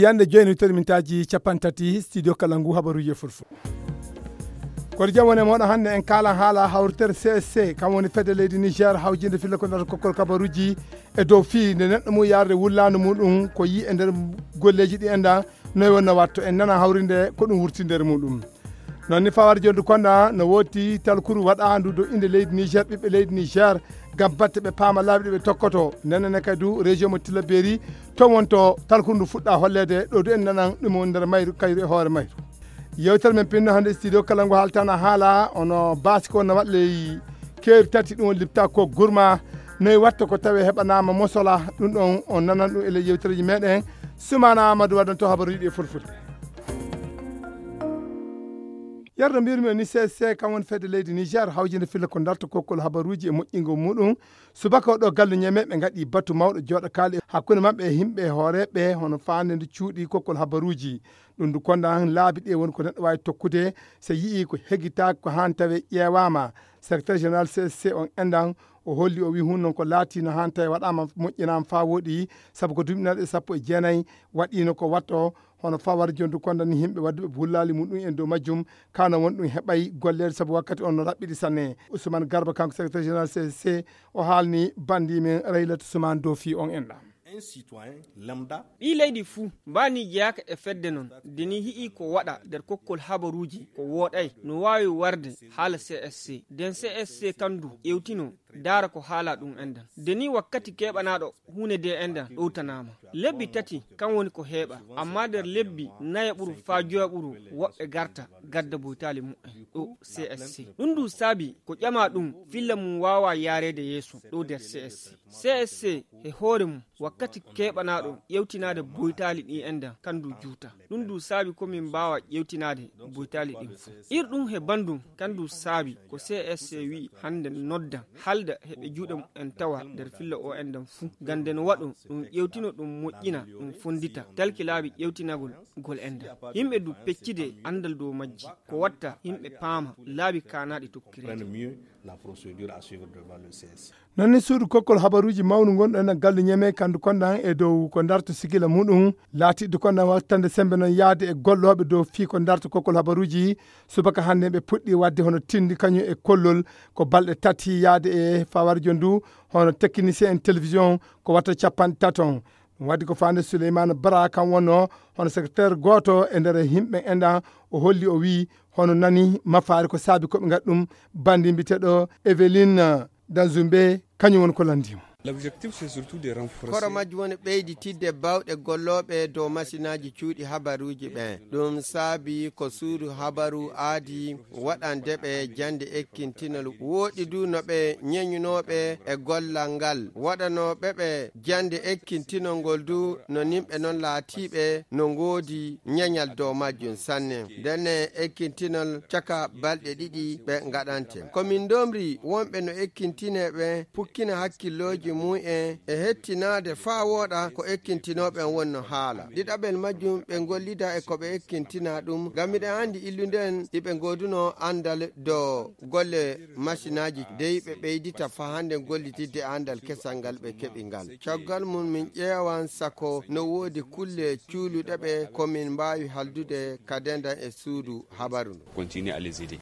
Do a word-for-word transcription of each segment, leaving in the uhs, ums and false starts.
Yande jooni tawde mintaaji capanɗe tati, studio kala ngu habaruuji e fulfulde. Kono jam woni e mooɗon, hannde en kaalan haala hawritere C S C, kam woni fedde leydi Niger hawjinde filla ko nata kokkol kabaruuji e dow fii nde neɗɗo mum yaarde wullaandu muɗum ko yi e nder golleeji ɗi enda noy wonno watto en nana hawrinde ko ɗum wurti nder muɗum. Noon ni fawar jondu konda no woodi talkuru waɗaandu dow inde leydi Niger, ɓiɓɓe leydi Niger, ngam batte ɓe paama laabi ɗi ɓe tokkoto. Nene ne kadi du région mo Tillabéri, to wonto talkuru ndu fuɗɗa holleede ɗo du en nanan ɗum woni nder mayru kayru e hoore mayru. Yewtere men pinno hannde studio kala ngu haaltana haala ono baasi ko no waɗa ley keeri tati ɗum woni lipta ko gurma noy watta ko tawe heɓanaama mosola ɗum ɗon on nanan ɗum e ley yewtereji meɗen. Sumana Amadou waɗanto habaruji ɗi e fulfulde. Yarda mbirmi ni C S C kam woni fedde leydi Niger hawjinde filla ko darta kokkol habaruji e moƴƴingo muɗum. Subaka o ɗo gallu ñeme ɓe ngaɗi batu mawɗo jooɗo kaali hakkunde maɓɓe e yimɓe hooreɓe hono faande nde cuuɗi kokkol habaruji. Ɗum ndu konda laabi ɗe woni ko neɗɗo waawi tokkude so yi'i ko hegitaaki ko haan tawe ƴeewaama. Secrétaire général C S C on endan o holli o wi hun noon ko laati no haan tawe waɗaama moƴƴinaama faa wooɗi sabu ko duuɓi naɗe sappo e jeenayi waɗiino ko watto hono fawar jondu konda ni yimɓe wadduɓe bullaali muɗum en dow majjum. Kano won ɗum heɓay golleede sabu wakkati on no raɓɓiɗi sanne. Ousmane Garba kanko secrétaire général C S C o haalni bandi men Raylat Ousmane dow fii on enɗa. Un citoyen lambda. Ɓii leydi fuu mbaani jeyaaka e fedde noon de ni yi'i ko waɗa nder kokkol habaruuji ko wooɗay no waawi warde haala C S C. Den C S C kan du ƴewtino daara ko haala ɗum endan de ni wakkati keɓanaaɗo huunde de endan ɗowtanaama. Lebbi tati kan woni ko heɓa amma nder lebbi nayo ɓuru faa joya ɓuru woɓɓe garta gadda boytaali mu'en ɗo C S C. Ɗum du saabi ko ƴama ɗum filla mum waawa yaareede yeeso ɗo nder C S C. C S C e hoore mum wakkati keɓanaaɗo ƴewtinaade boytaali ɗi endan kan du juuta. Ɗum du saabi ko min mbaawa ƴewtinaade boytaali ɗin fuu. Ir ɗum he bandum kan du saabi ko C S C wi'i hannde nodda halda heɓe juuɗe mu'en tawa nder filla o endan fuu. Ngam nde no waɗo ɗum ƴewtino ɗum moƴƴina ɗum fonndita talki laabi ƴewtinagol gol endan. Yimɓe du peccide anndal dow majji ko watta yimɓe paama laabi kaanaaɗi tokkireede. La procédure à suivre devant le C S. Noon ni suudu kokkol habaruuji mawnu ngonɗo enen gallu ñeme kandu kondan e dow ko darta sigila muɗum laatiɗo kondan wattande sembe noon yaade e gollooɓe dow fii ko darta kokkol habaruuji. Subaka hannde ɓe puɗɗi waɗde hono tindi kañum e kollol ko balɗe tati yaade e fawarjo ndu hono technicien en télévision ko watta capanɗe taton. Ɗum waɗi ko faande Souleymane Bara kam wonno hono secrétaire gooto e nder yimɓe enɗan o holli o wii hono nani mafaari ko saabi ko ɓe ngaɗi ɗum. Bandi mbiteɗo Eveline Danzumbe kañum woni ko lanndimo. L'objectif, c'est surtout de renforcer. Koro majjum woni ɓeyditidde bawɗe gollooɓe dow masinaaji cuuɗi habaruuji ɓen. Ɗum saabi ko suudu habaru aadi waɗande ɓe jannde ekkintinol wooɗi du no ɓe ñeñunooɓe e gollal ngal waɗanooɓe ɓe jannde ekkintinol ngol du no nimɓe non laatiiɓe no ngoodi ñeñal dow majjum sanne. Ndenne ekkintinol caka balɗe ɗiɗi ɓe ngaɗante. Ko min ndomri wonɓe no ekkintinee ɓe pukkina hakkillooji mum en e hettinaade faa wooɗa ko ekkintinooɓe en wonno haala. Ɗiɗaɓel majjum ɓe ngollida e ko ɓe ekkintina ɗum ngam miɗen anndi illunden iɓe ngoodunoo anndal dow golle masinaaji dey ɓe ɓeydita faa hannde gollitidde anndal kesal ngal ɓe keɓi ngal. Caggal mum min ƴeewan sako no woodi kulle cuuluɗe ɓe ko min mbaawi haldude ka dendan e suudu habaru ndu. Continuer à les aider.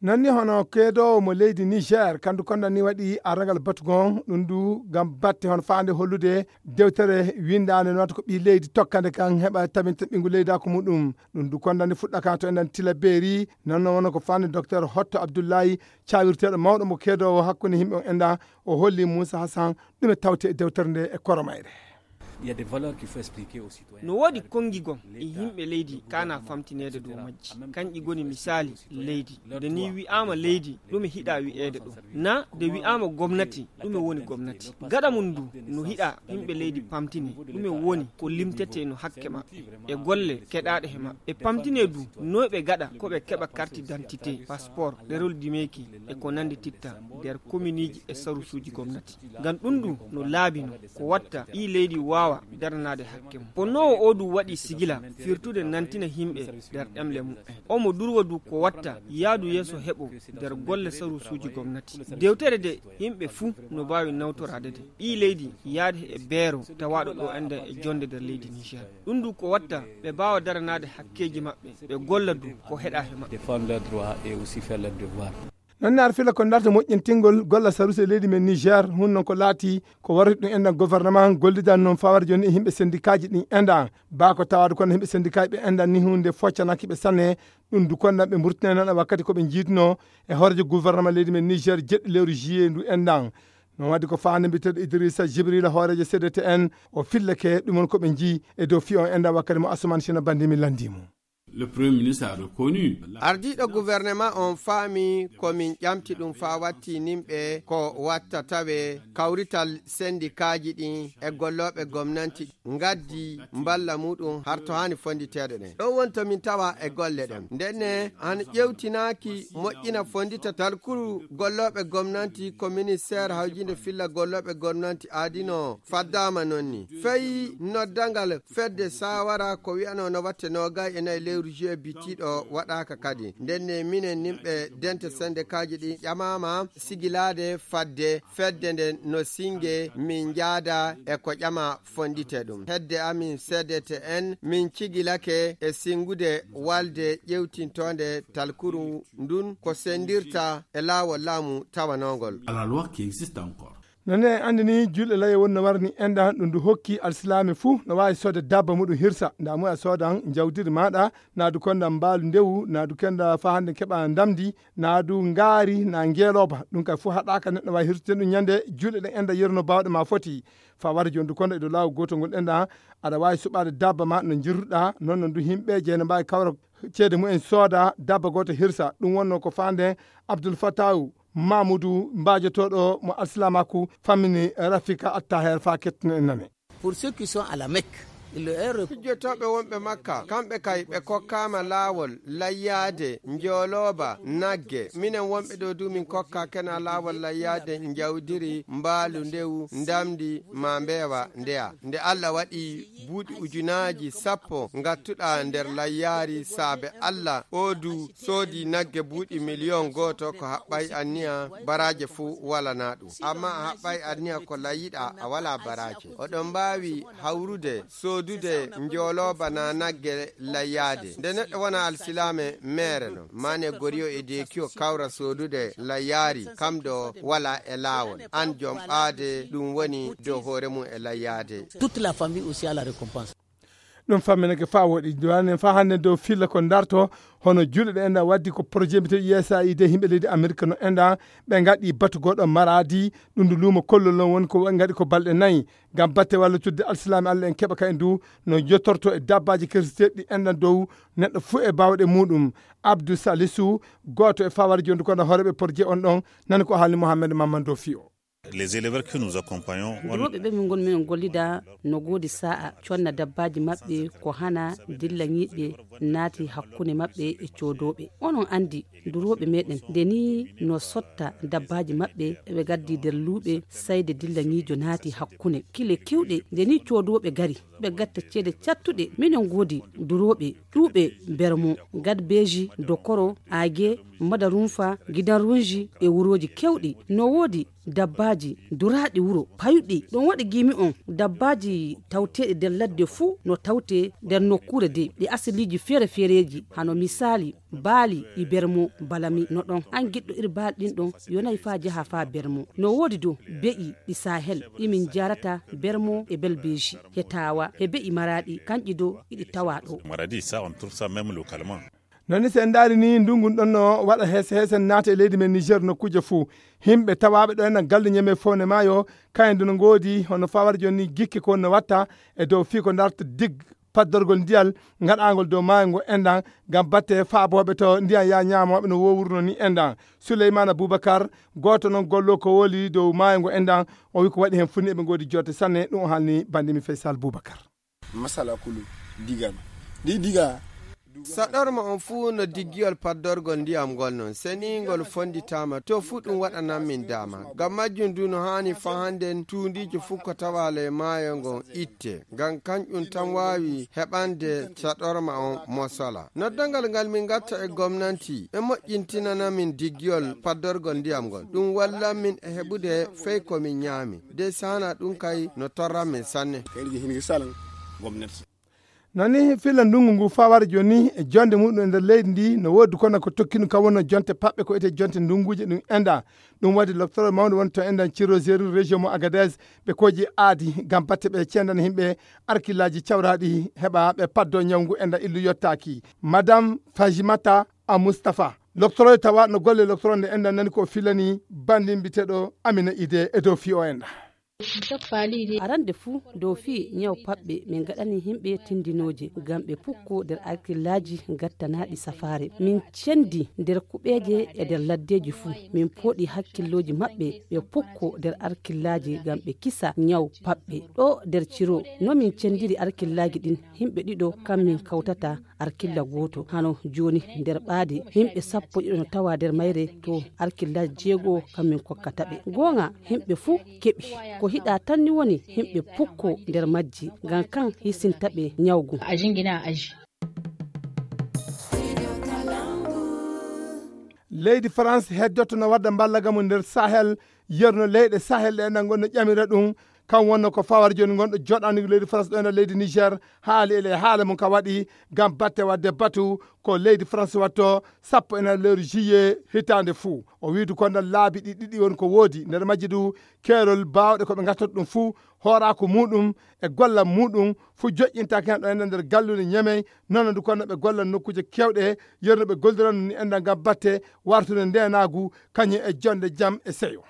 Noon ni hono keedoowo mo leydi Niger kandu kondan ni waɗi arragal batu gon ɗum du ngam batte hono faande hollude dewtere winndaande no wata ko ɓii leydi tokkande kan heɓa tabinta ɓinngu leydaako muɗum. Ɗum du kondan ni fuɗɗa kan to enɗan Tila Beeri. Noon no wona ko faande docteur Hotto Abdullahi cawirteeɗo mawɗo mo keedoowo hakkunde yimɓe on enɗan o holli Moussa Hassan ɗume tawte e dewtere nde e koromayre. Il y a des valeurs qu'il faut expliquer aux citoyens. No woodi konngi gom e yimɓe leydi kaana famtineede dow majji. Kanƴi goni misaali leydi. Nde ni wi'aama leydi, ɗume hiɗa wi'eede ɗo? Na nde wi'aama gomnati, ɗume woni gomnati? Gaɗa mum ndu no hiɗa yimɓe leydi pamtine ɗume woni ko limtetee no hakke maɓɓe e golle keɗaaɗe he maɓɓe. E pamtine du noy ɓe gaɗa ko ɓe keɓa carte d'identité, passeport, ɗerol dimeeki e ko nanndi titta nder kominiiji e sarusuuji gomnati. Ngam ɗum du no laabi no ko watta ɓii leydi waawa daranaade hakke mum. Ko noowo oo du waɗi sigila firtude nantina yimɓe nder ɗemle mumen. Omo durwa du ko watta yaadu yeeso heɓo nder golle sarusuuji gomnati. Dewtere de yimɓe fuu no mbaawi nawtoraade de. Ɓii leydi yaade e beero tawaaɗo ɗo enda e jonde nder leydi Niger. Ɗum du ko watta ɓe mbaawa daranaade hakkeeji maɓɓe, ɓe golla du ko heɗa he maɓɓe. Défendre leurs droits et aussi faire leurs devoirs. Noon ne ar fila ko darta moƴƴintingol golla saruse leydi men Niger, hun noon ko laati ko warri ɗum enɗan gouvernement gollidan noon fawar jooni e yimɓe sendikaaji ɗin enɗan. Baa ko tawaade kono yimɓe sendikaaji ɓe enɗan ni hunde foccanaki ɓe sanne. Ɗum du konɗan ɓe mburtinay noon e wakkati ko ɓe jiiduno e hoorejo gouvernement leydi men Niger jeɗɗi lewru juillet ndu enɗan. Noon wadde ko faande mbiteɗo Idrissa Jibrila hoorejo C D T N, o fillake ɗum on ko ɓe jii e dow fiyo on enɗan wakkati mo Asuman Sina Bandi mi landimo. Le Premier ministre a reconnu. Ardiiɗo gouvernement on faami ko min ƴamti ɗum faa watti nimɓe ko watta tawe kawrital sendikaaji ɗin e gollooɓe gomnanti ngaddi mballa muɗum har to haani fonditeede ɗen. Ɗon woni to min tawa e golle ɗen. Ndenne, an ƴewtinaaki moƴƴina fondita talkuru gollooɓe gomnanti ko ministère hawjinde filla gollooɓe gomnanti aadino faddaama non ni. Fey noddangal fedde saawara ko wi'anoo no watte noogay e nayi lewru juillet bittiiɗo waɗaaka kadi. Ndenne minen nimɓe dente sendekaaji ɗin ƴamaama sigilaade fadde fedde nden no singe min njaada e ko ƴama fondite ɗum. Hedde amin C D T N min cigilake e singude walde ƴewtintoonde talkuru ndun ko sendirta e laawol laamu tawanoongol. À la loi qui existe encore. Nane en anndini juulɗe laye woni no warani enɗan ɗum ndu hokki alsilaame fuu no waawi soode dabba muɗum hirsa nda mu a soodan njawdiri maaɗa naadu konda mbaalu ndewu naadu kenda faa hannde keɓa ndamdi naadu ngaari na ngeelooba ɗum kay fuu haɗaaka neɗɗo waawi hirsude ɗum ñande juulɗe ɗen enɗan yeru no baawɗe ma foti faa wara jooni du konda e dow laawol gootol ngol enɗan aɗa waawi suɓaade dabba ma no njirruɗa noon no ndu yimɓe jeyno mbaawi kawra ceede mumen sooda dabba gooto hirsa ɗum wonno ko faande Abdul Fatawu Mamudu mbaajotooɗo mo alsilaamaaku fammini Rafika Attaher faa kettino en nane. Pour ceux qui sont à la Mecque, il est re- Jotooɓe wonɓe Makka, kamɓe kay ɓe kokkaama laawol layyaade njoolooba nagge. Minen wonɓe ɗo du min kokka kena laawol layyaade njawdiri mbaalu ndewu ndamndi ma mbeewa ndeya. Nde Allah waɗi buuɗi ujunaaji sappo ngattuɗaa nder layyaari saabe Allah, oo du soodi nagge buuɗi miliyon gooto ko haɓɓay anniya baraaje fuu walanaa ɗum. Amma a haɓɓay anniya ko layyiɗaa a walaa baraaje. Oɗon mbaawi hawrude soodude njoolooba na nagge layyaade. Nde neɗɗo wona alsilaame meere no, mane goriyo e deekiyo kawra soodude layyaari, kam ɗo walaa e laawol. An jom ɓaade ɗum woni dow hoore mum e layyaade. Toute la famille aussi a la récompense. Ɗum famminake faa woɗi duwanen faa hannde dow filla ko darto hono juuɗe ɗe enɗan waddi ko projet mbite U S A I D yimɓe leydi Amerika no enɗan ɓe ngaɗi batu goɗo maradi ɗum ndu luumo kollol non woni ko ngaɗi ko balɗe nayi ngam batte walla cudde alsilaami Allah en keɓa ka e ndu no jottorto e dabbaaji kirseteeɗi ɗi enɗan dow neɗɗo fuu e baawɗe muɗum. Abdou Salisu gooto e fawar jondu kono hooreɓe projet on ɗon nani ko haalni Mohamed Mamadou Fiyo. Les éleveurs que nous accompagnons, on- Durooɓe ɓe min ngoni min gollida no goodi sa'a conna dabbaaji maɓɓe ko hana dilla ñiiɓɓe naati hakkunde maɓɓe e coodooɓe. Onon anndi durooɓe meɗen nde ni no sotta dabbaaji maɓɓe ɓe gaddi nder luuɓe sayde dilla ñiijo naati hakkunde kile kewɗe nde ni coodooɓe gari ɓe gatta ceede cattuɗe minen goodi durooɓe ƴuuɓe bermo gadbeeji dokoro age madarunfa gidanrunji e wurooji kewɗi no woodi dabbaaji duraaɗi wuro payuɗi ɗum waɗi giimi on dabbaaji tawteeɗi nder ladde fuu no tawte nder nokkuure de ɗi asiliiji feere feereeji hano misaali baali e bermo balami no ɗon an giɗɗo iri baali ɗin ɗon yonay faa jaha faa bermo no woodi dow be'i ɗi sahel ɗi min jarata bermo e belbeeji he taawa he be'i maraaɗi kanƴi dow iɗi tawa ɗo. Maradi ça on trouve ça même localement. Noon ni so en ndaari ni ndungun ɗon no waɗa heese heese naata e leydi men Niger nokkuuje fuu. Himɓe tawaaɓe ɗo ena galle ñeme fowne maayo kayen du no ngoodi hono fawar jooni ni gikke ko no watta e dow fii ko darta dig paddorgol ndiyal ngaɗaangol dow maayo ngo enɗan ngam batte faabooɓe to ndiyan yaa ñaamooɓe no wowruno ni enɗan. Souleymane Boubacar gooto noon gollo ko woli dow maayo ngo enɗan o wi ko waɗi heen funi eɓe ngoodi jotte sanne ɗum o haalni bandimi Faysal Boubacar. Masala kulu diga no ndi diga. Saɗorma on fuu no diggiyol paddorgol ndiyam ngol non, seniingol fonnditaama, to fuu ɗum waɗanan min daama. Ngam majjum du no haani faa hannden tuundiiji fuu ko tawaa ley maayo ngon itte, ngam kanƴum tan waawi heɓande saɗorma on mosola. Noddangal ngal min ngatta e gomnanti, ɓe moƴƴintinana min diggiyol paddorgol ndiyam ngol. Ɗum wallan min e heɓude fey ko min ñaami. De saana ɗum kay no torran min sanne. Kayri hin salan gomnati. No ni filla ndungu ngu fawar jooni e jonde muɗum e nder leydi ndi no woodi kono ko tokki ɗum kam wonno jonte paɓɓe ko ete jonte ndunguuje ɗum enda. Ɗum waɗi lobtoro mawɗo woni to endan Ciro Zeru région mo Agadez ɓe koji aadi ngam batte ɓe cendana yimɓe arkillaaji cawraɗi heɓa ɓe paddo ñawngu enda illu yottaaki. Madame Fajimata a Mustapha. Loktoroyo tawa no golle loktoro nde endan nani ko filani bandin biteɗo Amina Ide e dow fi o enda. Arande fuu dow fii ñaw paɓɓe min ngaɗani yimɓe tindinooje ngam ɓe pukko nder arkillaaji gattanaaɗi safaare. Min cendi nder kuɓeeje e nder laddeeji fuu. Min pooɗi hakkillooji maɓɓe ɓe pukko nder arkillaaji ngam ɓe kisa ñaw paɓɓe. Ɗo nder Ciro no min cendiri arkillaaji ɗin yimɓe ɗiɗo kam min kawtata arkilla gooto. Hano jooni nder ɓaade yimɓe sappo ɗiɗo no tawa nder mayre to arkilla jeego kam min kokkata ɓe. Goonga yimɓe fuu keɓi ko hiɗa tan ni woni yimɓe pukko nder majji ngam kan hisinta ɓe ñawgu. A jingina a aji. Leydi France heddoto no wadda mballagamu nder Sahel, yerno leyɗe Sahel ɗe enɗan gonno ƴamira ɗum. Kan wonno ko fawar jooni gonɗo joɗani leydi France ɗo ena leydi Niger haali ele haala mum ka waɗi ngam batte wadde batu ko leydi France watto sappo ena lewru juillet hitaande fuu. O wiidu kon ɗon laabi ɗi ɗiɗi woni ko woodi nder majji du keerol baawɗe ko ɓe gattata ɗum fuu hooraaku muɗum e gollal muɗum fuu joƴƴintaake hen ɗo ena nder gallude ñemey nono du konno ɓe gollan nokkuuje kewɗe yerno ɓe golliranno ni enɗan ngam batte wartude ndenaagu kañum e jonde jam e seyo.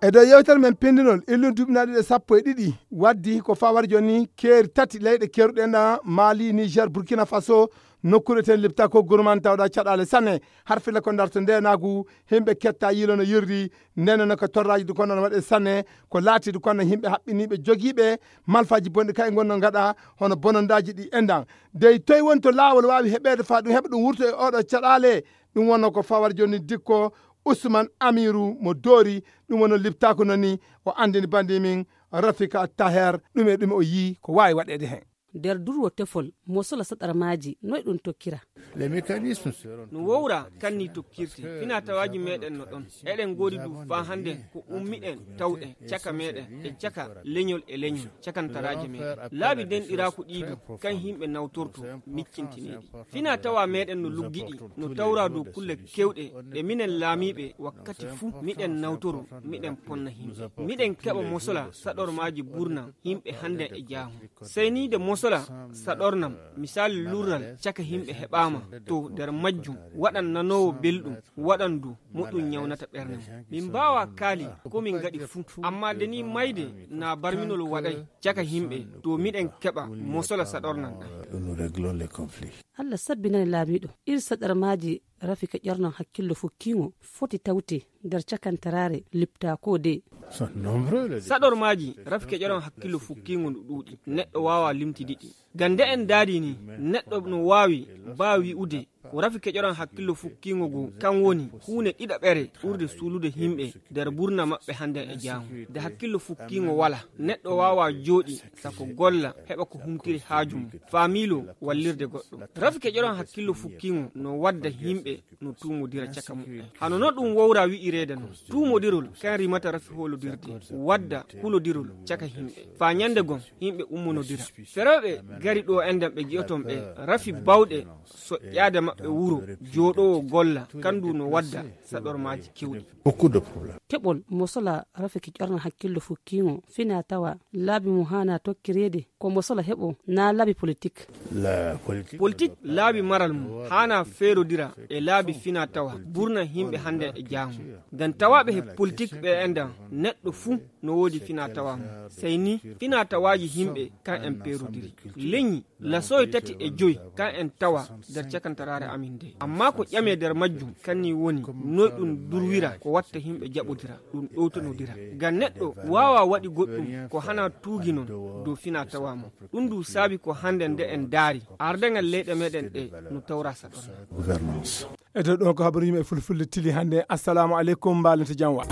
E dow yewtere men pindinol illun duuɓi na ɗiɗi e sappo e ɗiɗi waddi ko fawar joni keeri tati leyɗe keruɗe na Mali, Niger, Burkina Faso, nokkure ten lipta ko gurman tawɗa caɗale sanne har filla ko darto ndenagu himɓe ketta yilo no yirri. Ndeno no ko torraji du kono no waɗe sanne ko laati du kono himɓe haɓɓiniɓe jogiiɓe malfaji bonɗi kay gonno gaɗa hono bonondaji ɗi endan dey toy woni to laawol waawi heɓeede faa ɗum heɓa ɗum wurto e oɗo caɗaale. Ɗum wonno ko fawar joni dikko Ousmane Amirou mo doori ɗum wonno liptaako noni o anndini bandi min Rafika Taher ɗum e ɗum o yii ko waawi waɗeede heen. Nder durwo tefol mo sola saɗarmaaji noy ɗum tokkira? No wowra kanni tokkirte finatawaaji meɗen no ɗon eɗen ngoodi du faa hannde ko ummiɗen tawɗe caka meɗen e caka leñol e leñol cakantaraaji meɗen laabi denɗiraaku ɗiidu kan yimɓe nawtorto miccintineeɗi finatawa meɗen no luggiɗi no tawra dow kulle kewɗe ɗe minen laamiiɓe wakkati fuu miɗen nawtoro miɗen ponna yimɓe miɗen keɓa mosola saɗormaaji burna yimɓe hannde e jaahu seyniide mosola saɗornam misali lurral caka yimɓe heɓaama to nder majjum waɗan nanoowo belɗum waɗan du moɗum ñawnata ɓernde mum min mbaawa kaali ko min ngaɗi fuu amma nde ni mayde na barminol waɗay caka yimɓe to miɗen keɓa mosola saɗornam ɗam. Allah sabbinani laamiiɗo ir saɗarmaaji rafika ƴornan hakkillo fukkiiŋo foti tawte nder cakantaraare liptaako de. Saɗormaaji rafika ƴoran hakkillo fukkiiŋo no ɗuuɗi neɗɗo waawa limtidi ɗi ngam nde en ndaari ni neɗɗo no waawi baa wi'ude ko rafi keƴoran hakkillo fukkiiŋo goo kan woni huunde ɗiɗaɓere ɓurde suulude yimɓe nder burna maɓɓe hannde e jaamu nde hakkillo fukkiiŋo wala neɗɗo waawa jooɗi sako golla heɓa ko humtiri haaju mum faa miilo wallirde goɗɗo rafi keƴoran hakkillo fukkiiŋo no wadda yimɓe no tuumodira caka muɓɓen hano no ɗum wowra wi'ireede non tuumodirol kan rimata rafi hoolodirde wadda kulodirol caka yimɓe faa ñande gom yimɓe ummonodira ferooɓe gari ɗo enɗan ɓe gi'oton ɓe rafi bawɗe soƴƴaade maɓɓe wuro jooɗoowo golla kandu no wadda saɗormaaji kewɗi. Keɓol mo sola rafiki ƴorna hakkillo fukkiiŋo fina tawa laabi mum haana tokkireede ko mo sola heɓo naa laabi politik. Politik laabi maral mum haana feerodira e laabi fina tawa burna yimɓe hannde e jaamu ngam tawaaɓe he politik ɓe enɗan neɗɗo fuu no woodi fina tawa mum sey ni fina tawaaji yimɓe kan en peerodiri leñi lasoy tati e joy kan en tawa nder cakantaraare. Amin de. Amma ko ƴame nder majjum, kanni woni noy ɗum durwira ko watta himɓe jaɓodira, ɗum ɗowtanodira. Ngam neɗɗo waawa waɗi goɗɗum ko hana tuugi non dow fina tawa mo. Ɗum ndu saabi ko hannde nde en daari, ardangal leyɗe meɗen ɗe no tawra saɗon. E dow ɗon ko habaru yimɓe fulfulde tili hannde. Assalamu aleykum, mbalente jam wa.